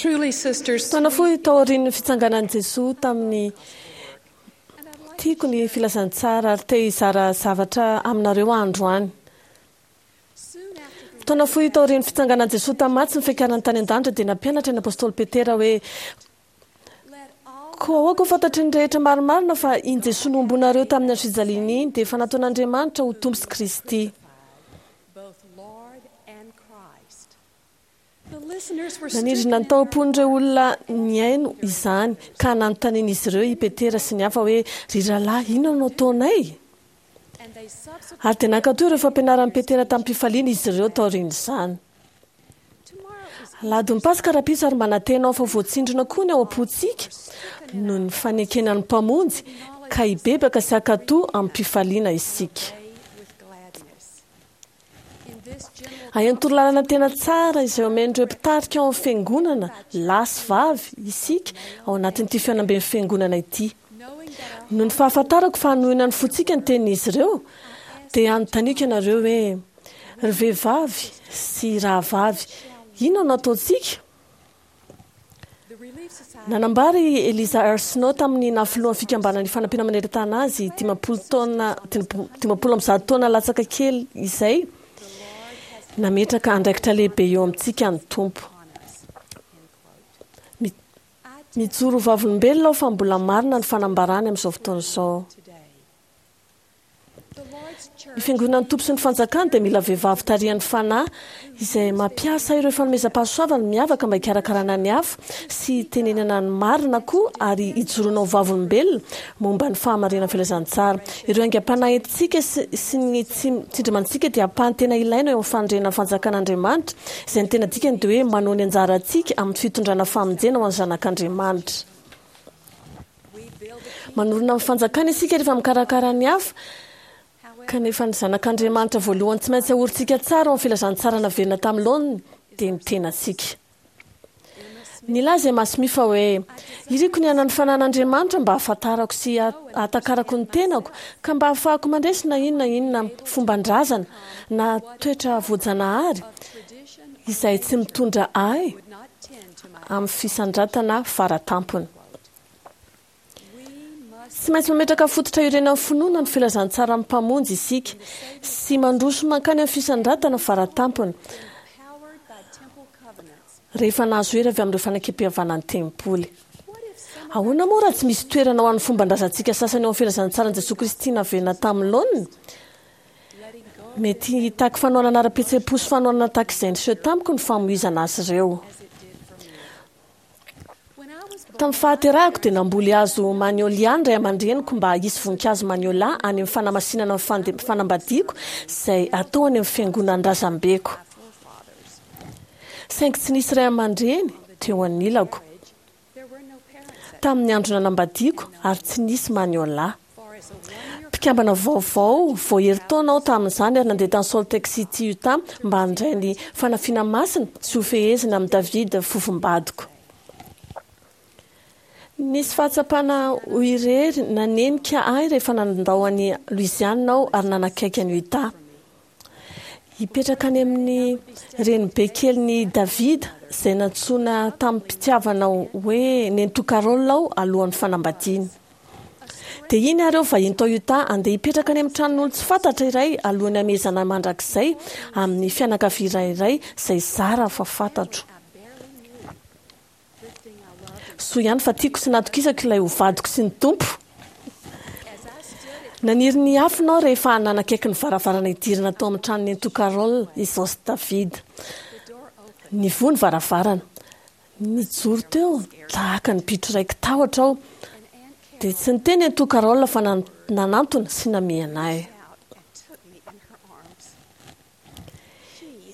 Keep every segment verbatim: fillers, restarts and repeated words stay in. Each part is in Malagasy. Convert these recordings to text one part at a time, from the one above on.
Truly, sisters, Fotoana fohy taorian'ny fitsanganan'i Jesoa tamin'ny tiako ny filazantsara ary te hizara zavatra aminareo androany. Fotoana fohy taorian'ny fitsanganan'i Jesoa tamin'ny maty sy ny fiakarany tany an-danitra dia nampianatra ny apôstôly Petera hoe koa aoka ho fantatry ny rehetra marimarina fa iny Jesoa nohomboanareo tamin'ny hazo fijaliana iny dia efa nataon'Andriamanitra ho Tompo sy Kristy. both Lord and Christ. The listeners were Nanindrina ny tao am-pon'ireo olona nihaino izany ka nanontanian'izy ireo i Petera sy ny hafa hoe ry rahalahy inona no ataonay? and they subsequently Ary dia nankatò ireo fampianaran'i Petera tamin'ny-pifaliana izy ireo taorian'izany. tomorrow is Alahadin'ny Paska rahampitso ary manantena aho fa voatsindrona koa ny ao am-pontsika noho ny fanekena ny Mpamonjy ka hibebaka sy hankatò amin'ny-pifaliana isika. day with gladness. In this general Ahian'ny torolalana tena tsara izay omen'ireo mpitarika ao amin'ny fiangonana lahy sy vavy isika ao anatin'ity fihaonamben'ny fiangonana ity. knowing that our Noho ny fahafantarako fa hanohina ny fontsika ny tenin'izy ireo dia anontaniako ianareo hoe ry vehivavy sy rahavavy inona no ataontsika? the Relief Society Nanambara i Eliza R. Snow tamin'ny naha filohan'ny fikambanan'ny fanampiana maneran-tany azy dimampolo taona dimampolo amby zato taona latsaka kely izay nametraka andraikitra lehibe eo amintsika ny Tompo. on us. End quote. Mi- I Mijoro ho vavolombelona aho fa mbola marina ny fanambarany amin'izao fotoana izao. today. The Lord's church Ny fiangonan'ny Tompo sy ny fanjakany dia mila vehivavy tarihan'ny fanahy izay mampiasa ireo fanomezam-pahasoavana miavaka mba hikarakarana ny hafa sy hitenenana ny marina koa ary hijoroana ho vavolombelona momba ny fahamarinan'ny filazantsara. Ireo aingam-panahy entintsika sy, sy ny tsi- tsindrimantsika dia ampahany tena ilaina eo amin'ny fanorenana ny fanjakan'Andriamanitra izay ny tena dikany dia hoe manao ny anjarantsika amin'ny fitondrana famonjena ho an'ny zanak'Andriamanitra. we build the Manorina amin'ny fanjakana isika rehefa mikarakara ny hafa However, kanefa ny zanak'Andriamanitra voalohany tsy maintsy ahorintsika tsara ao amin'ny filazantsara naverina tamin'ny laoniny dia ny tenantsika. Nilaza i Masmi fa hoe iriko ny hanana ny fanahin'Andriamanitra mba hahafantarako sy hahatakarako ny tenako ka mba hahafahako mandresy na inona inona fomban-drazana na toetra voajanahary tradition izay tsy mitondra ahy would not tend to my amin'ny fisandratana faratampony. we must Tsy maintsy mametraka fototra iorenan'ny finoana ny filazantsara amin'ny Mpamonjy isika sy mandroso mankany amin'ny fisandratana faratampony empowered by temple covenants. rehefa nahazo hery avy amin'ireo fanekem-pihavanan'ny tempoly. What if some Ahoana moa raha tsy misy toerana ho an'ny fomban-drazantsika sasany eo amin'ny filazantsaran'i Jesoa Kristy naverina tamin'ny laoniny? letting go Mety hitaky fanohanana ara-pihetseham-po sy fanohanana tahaka izay niseho tamiko ny famoizana azy ireo. as it did for me? When I was born, Tamin'ny fahaterahako dia namboly hazo magnolia ny ray aman-dreniko mba hisy voninkazo magnolia any amin'ny fanamasinana ny fande- fanambadiako izay atao any amin'ny fiangonan'ny razambeko. my forefathers, Saingy tsy nisy ray aman-dreny teo anilako. there were no parents at Tamin'ny andro nanambadiako ary tsy nisy magnolia. for as a one-year Mpikambana vaovao vao herintaona aho tamin'izany ary nandeha tany Salt Lake City, Utah mba handray ny fanafiana masina sy ho fehezina amin'i David fofombadiko. Nisy fahatsapana ho irery nanenika ahy rehefa nandao an'i Louisiana aho ary nanakaiky an'i Utah. Hipetraka any amin'ny renibe kelin'i David izay nantsoina tamin'ny-pitiavana hoe Nenitoa Carol aho alohan'ny fanambadiana. Dia iny ary aho vahiny tao Utah andeha hipetraka any amin'ny tranon'olo tsy fantatra iray alohan'ny hamehezana mandrakizay amin'ny fianakaviana iray izay zara fa fantatro. I barely knew. Good thing I loved Soa ihany fa tiako sy natokisako ilay ho vadiko sy ny Tompo. As I stood at Naniry ny hiafina aho rehefa nanakaiky ny varavarana hidirana tao amin'ny tranon'i Nenitoa Carol izaho sy David. the door opened, Nivoha ny varavarana. Nijoro teo tahaka ny bitro raiki-tahotra aho. and Aunt Dia Carol tsy niteny Nenitoa Carol fa nan- nanantona sy namihana ahy. out and took me in her arms.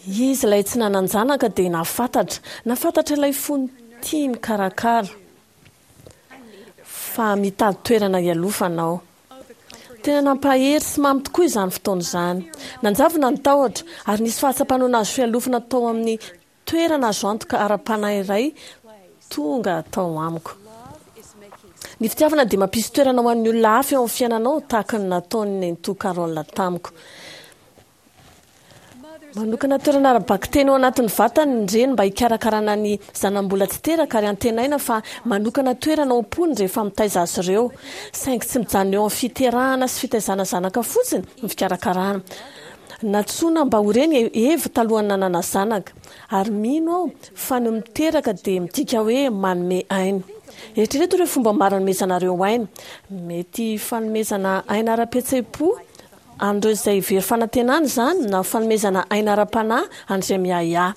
She Izy ilay tsy nanan-janaka dia nahafantatra. Nahafantatra ilay fony tia mikarakara I needed a fa mitady toerana hialofana aho. oh the comfort Tena nampahery sy mamy tokoa izany fotoana izany. Nanjavona ny tahotra ary nisy fahatsapana ho nahazo fialofana tao amin'ny toerana azo antoka ara-panahy iray place. tonga tao amiko. Love is making Ny fitiavana dia mampisy toerana ho an'ny olona hafa eo amin'ny fiainanao tahaka ny nataon'i Nenitoa Carol tamiko. Mother Manokana toerana ara-bakiteny ao anatin'ny vatany ny reny mba hikarakarana ny zanambola tsy teraka ary antenaina fa manokana toerana ao am-pony rehefa mitaiza azy ireo. Saingy tsy mijanona eo amin'ny fiterahana sy fitaizana zanaka fotsiny ny fikarakarana. Nantsoina mba ho reny Eva talohan'ny nanana zanaka ary mino aho fa ny miteraka dia midika hoe manome aina. Eritrereto ireo fomba maro anomezanareo aina. Mety fanomezana aina ara-pihetseham-po an'ireo izay very fanantenana izany na fanomezana aina ara-panahy an'izay miahiahy.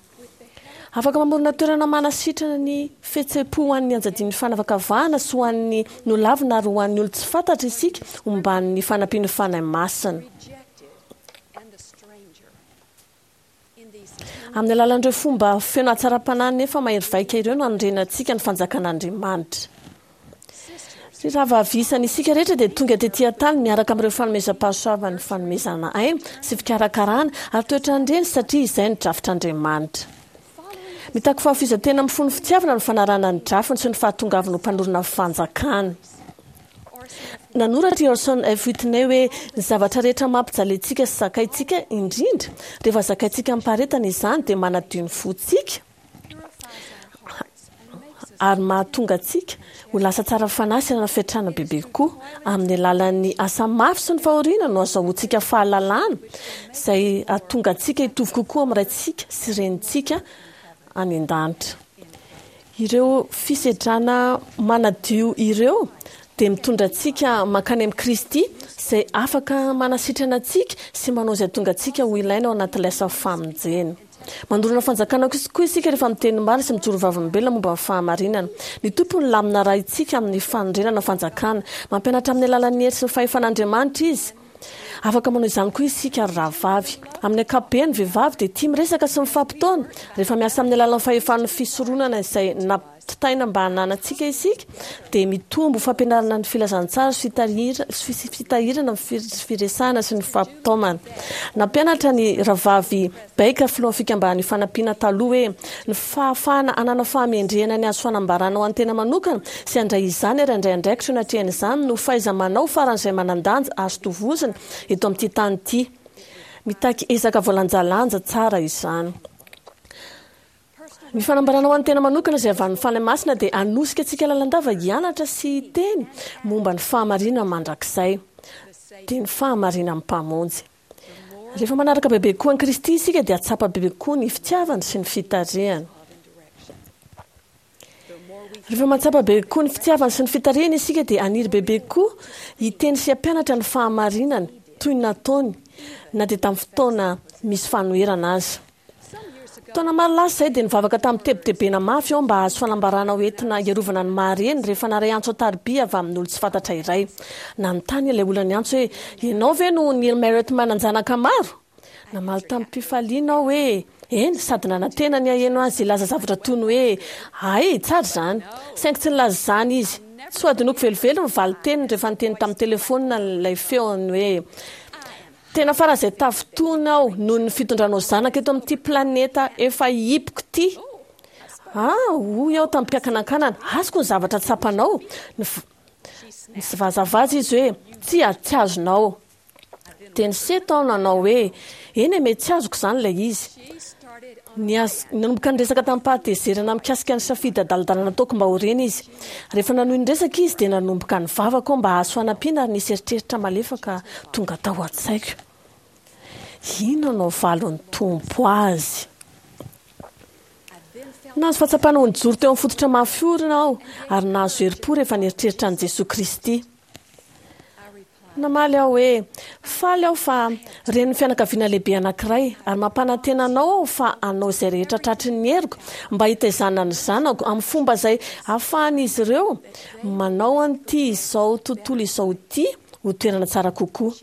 Afaka mamorona toerana manasitrana ny fihetseham-po ho an'ny anjadian'ny fanavakavahana sy ho an'ny nolavina ary ho an'ny olon-tsy fantatra isika omban'ny fanampian'ny Fanahy Masina. Amin'ny alalan'ireo fomba feno hatsaram-panahy nefa mahery vaika ireo no hanorenantsika ny fanjakan'Andriamanitra. Ry rahavavy isany, isika rehetra dia tonga tetỳ an-tany miaraka amin'ireo fanomezam-pahasoavan'ny fanomezana aina sy fikarakarana ary toetran'ireny satria izay no drafitr'Andriamanitra. Mitaky fahafoizan-tena amin'ny fon'ny fitiavana ny fanarahana ny drafiny sy ny fahatongavana ho mpanorina ny fanjakana. Nanoratra i Orson F. Whitney hoe ny zavatra rehetra mampijaly antsika sy zakaintsika indrindra rehefa zakaintsika amim-paharetana izany dia manadio ny fontsika ary mahatonga antsika ho lasa tsara fanahy sy hanana fiantrana bebe kokoa. Amin'ny alalan'ny asa mafy sy ny fahoriana no azahoantsika fahalalana izay hahatonga antsika hitovy kokoa amin'ny raintsika sy renintsika any an-danitra. Ireo fisedrana manadio ireo dia mitondra antsika mankany amin'i Kristy izay afaka manasitrana antsika sy manao izay tonga antsika ho ilaina ao anatin'ilay asa famonjena. Mandorona fanjakana koa isika rehefa miteny marina sy mijoro vavolombelona momba ny fahamarinana. Ny Tompo no lamina arahintsika amin'ny fanorenana fanjakana. Mampianatra amin'ny alalan'ny hery sy ny fahefan'Andriamanitra izy. Afaka manao izany koa isika ry rahavavy. Amin'ny ankapobeny, vehivavy dia tia miresaka sy mifampitaona. Rehefa miasa amin'ny alalan'ny fahefan'ny fisoronana izay nampitaina mba hananantsika isika, dia mitombo fampianarana ny filazantsara sy fitahirana ny firesahana sy ny fampitaomana. Nampianatra ny rahavavy Baker, filohan'ny fikambanan'ny fanampiana taloha hoe ny fahafahana hanana fahamendrehana ny azo fanambarana ho an'ny tena manokana sy handray izany ary handray andraikitra eo anatrehan'izany no fahaiza-manao faran'izay manan-danja azo tovozina eto amin'ity tany ity. Mitaky ezaka voalanjalanja tsara izany. Ny fanambarana ho an'ny tena manokana izay avy amin'ny Fanahy Masina dia hanosika antsika lalandava hianatra sy hiteny momba ny fahamarinana mandrakizay, dia ny fahamarinan'ny Mpamonjy. Rehefa manaraka bebe kokoa an'i Kristy isika dia hahatsapa bebe kokoa ny fitiavany sy ny fitarihany. Rehefa mahatsapa bebe kokoa ny fitiavany sy ny fitarihany isika dia haniry bebe kokoa hiteny sy hampianatra ny fahamarinany toy ny nataony na dia tamin'ny fotoana misy fanoherana aza. Taona maro lasa izay dia nivavaka tamin'ny tebitebena mafy aho mba hahazo fanambarana ho entina hiarovana ny maha-reny rehefa naray antso an-tariby avy amin'olon-tsy fantatra iray. Nanontany ilay olona niantso hoe, Ianao ve no Neil Marriott manan-janaka maro? Namaly tamim-pifaliana aho hoe, Eny, sady nanantena ny haheno azy hilaza zavatra toy ny hoe, Hay, tsara izany. Saingy tsy nilaza izany izy. Tsy ho adinoiko velively ny valin-teniny rehefa niteny tamin'ny telefaonina ilay feony hoe, Tena faran'izay tafintohina aho noho ny fitondranao zanaka eto amin'ity planeta efa hiboko ity. Ah, hoy aho tamim-piakanankanana, azoko ny zavatra tsapanao. Nivazavaza izy hoe, Tsia, tsy azonao. Dia niseto aho nanao hoe, Eny e, mety tsy azoko izany ilay izy. Nanomboka niresaka tamim-pahatezerana mikasika ny safidy adaladala nataoko mba ho reny izy. Rehefa nanohy niresaka izy dia nanomboka nivavaka aho mba hahazo fanampiana ary nisy eritreritra malefaka tonga tao an-tsaiko. Inona no havalin'ny Tompo azy? Nahazo fahatsapana ho nijoro teo amin'ny fototra mafy orina aho ary nahazo herim-po rehefa nieritreritra an'i Jesoa Kristy. Namaly aho hoe, Faly aho fa renin'ny fianakaviana lehibe anankiray, ary mampanantena anao aho fa hanao izay rehetra tratry ny heriko mba hitaizana ny zanako amin'ny fomba izay ahafahan'izy ireo manao an'ity izao tontolo izao ity ho toerana tsara kokoa.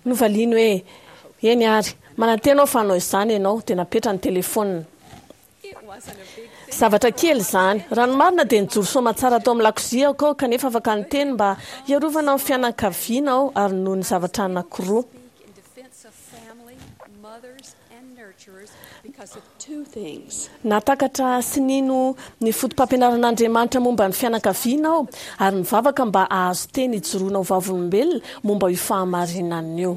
Novaliany hoe, Eny àry, manantena aho fa hanao izany ianao, dia napetrany ny telefaonina. Zavatra kely izany. Raha ny marina dia nijoro soamantsara tao amin'ny lakoziako aho kanefa afaka niteny mba hiarovana ny fianakaviana aho ary noho ny zavatra anankiroa. Nahatakatra sy nino ny fotopampianaran'Andriamanitra momba ny fianakaviana aho ary nivavaka mba hahazo teny hijoroana ho vavolombelona momba io fahamarinana io.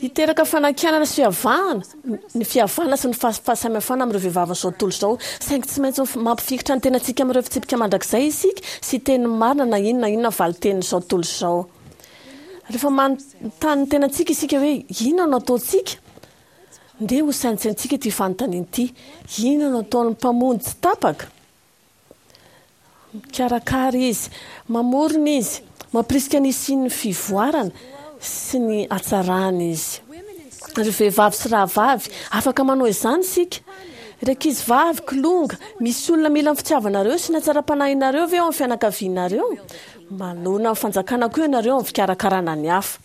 Hiteraka fanakianana sy fiavahana ny fihavana sy ny fahasamihafana amin'ireo vehivavin'izao tontolo izao, saingy tsy maintsy mampifikitra ny tenantsika amin'ireo fitsipika mandrakizay isika sy teny marina na inona na inona valin-tenin'izao tontolo izao. Rehefa manontany ny tenantsika isika hoe inona no ataontsika, ndeha ho saintsaintsika ity fanontaniana ity: inona no ataon'ny Mpamonjy tsy tapaka? Mikarakara izy, mamorona izy, mampirisika ny hisian'ny fivoarana sy ny hatsarana izy. Ry vehivavy sy rahavavy, afaka manao izany isika. Ry ankizy vavy, kilonga, misy olona mila ny fitiavanareo sy ny hatsaram-panahinareo ve ao amin'ny fianakavianareo? Manoloana ny fanjakana koa ianareo amin'ny fikarakarana ny hafa.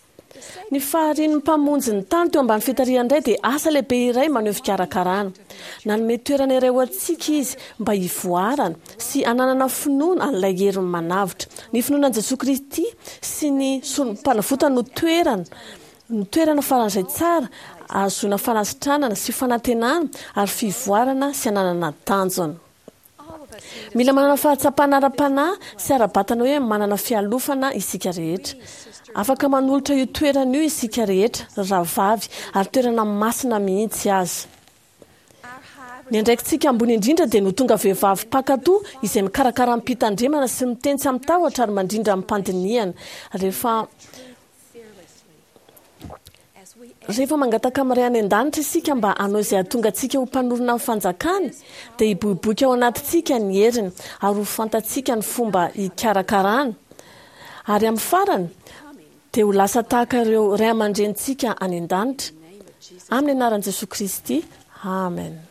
Ny faharian'ny Mpamonjy ny tany teo ambany fitarihany indray dia asa lehibe iray maneho fikarakarana. Nanome toerana iray ho antsika izy mba hivoarana sy hananana finoana an'ilay heriny manavotra. Ny finoana an'i Jesoa Kristy sy ny sorompanavotany no toerana no toerana faran'izay tsara ahazoana fanasitranana sy fanantenana ary fivoarana sy hananana tanjona. Mila manana fahatsapana ara-panahy sy ara-batana hoe manana fialofana isika rehetra. Afaka manolotra io toerana io isika rehetra, rahavavy, ary toerana masina mihitsy aza. Ny andraikitsika ambony indrindra dia ny ho tonga vehivavy mpankatò izay mikarakara amim-pitandremana sy miteny tsy amin-tahotra ary mandrindra amim-pandinihana. Rehefa Rehefa mangataka amin'ny Ray any An-danitra isika mba hanao izay hahatonga antsika ho mpanorina ny fanjakany, dia hiboiboika ao anatintsika ny heriny ary ho fantatsika ny fomba hikarakarana. Ary amin'ny farany, dia ho lasa tahaka ireo ray aman-drenintsika any an-danitra. Amin'ny anaran'i Jesoa Kristy, amen.